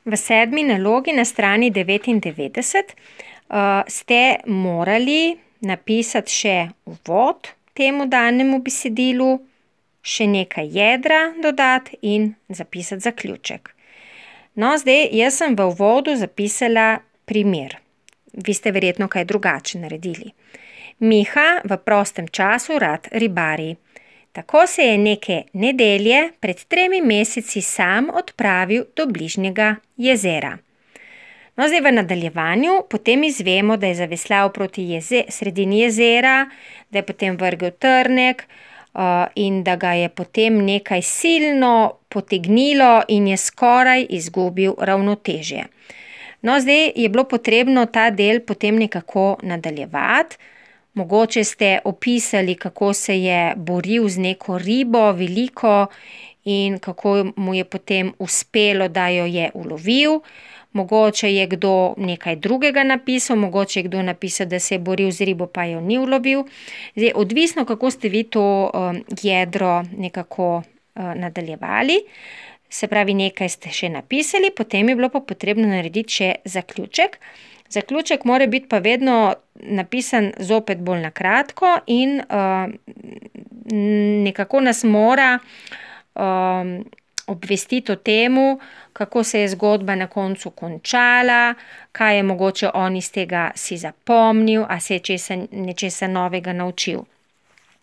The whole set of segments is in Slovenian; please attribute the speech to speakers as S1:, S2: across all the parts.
S1: V 7. nalogi na strani 99 ste morali napisati še uvod temu danemu besedilu, še nekaj jedra dodati in zapisati zaključek. No, zdaj jaz sem v uvodu zapisala primer. Vi ste verjetno kaj drugače naredili. Miha v prostem času rad ribari. Tako se je neke nedelje pred 3 meseci sam odpravil do bližnjega jezera. No, zdaj v nadaljevanju potem izvemo, da je zaveslal proti sredini jezera, da je potem vrgel trnek in da ga je potem nekaj silno potegnilo in je skoraj izgubil ravnotežje. No, zdaj je bilo potrebno ta del potem nekako nadaljevati. Mogoče ste opisali, kako se je boril z neko ribo veliko in kako mu je potem uspelo, da jo je ulovil. Mogoče je kdo nekaj drugega napisal, mogoče je kdo napisal, da se je boril z ribo, pa jo ni ulovil. Zdaj, odvisno, kako ste vi to jedro nekako nadaljevali. Se pravi, nekaj ste še napisali, potem je bilo pa potrebno narediti še zaključek. Zaključek mora biti pa vedno napisan zopet bolj na kratko in nekako nas mora obvestiti o temu, kako se je zgodba na koncu končala, kaj je mogoče on iz tega si zapomnil, a se je nečesa novega naučil.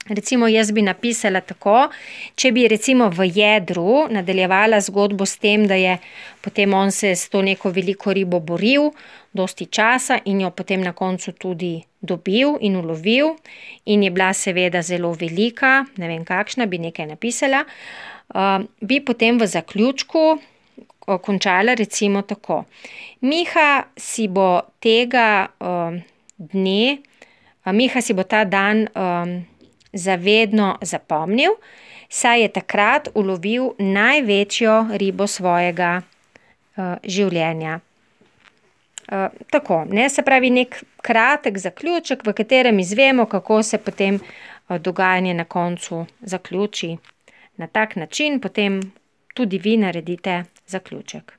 S1: Recimo jaz bi napisala tako, če bi recimo v jedru nadaljevala zgodbo s tem, da je potem on se s to neko veliko ribo boril dosti časa in jo potem na koncu tudi dobil in ulovil in je bila seveda zelo velika, ne vem kakšna, bi nekaj napisala, bi potem v zaključku končala recimo tako. Miha si bo ta dan zavedno zapomnil, saj je takrat ulovil največjo ribo svojega življenja. Tako, ne, se pravi nek kratek zaključek, v katerem izvemo, kako se potem dogajanje na koncu zaključi. Na tak način potem tudi vi naredite zaključek.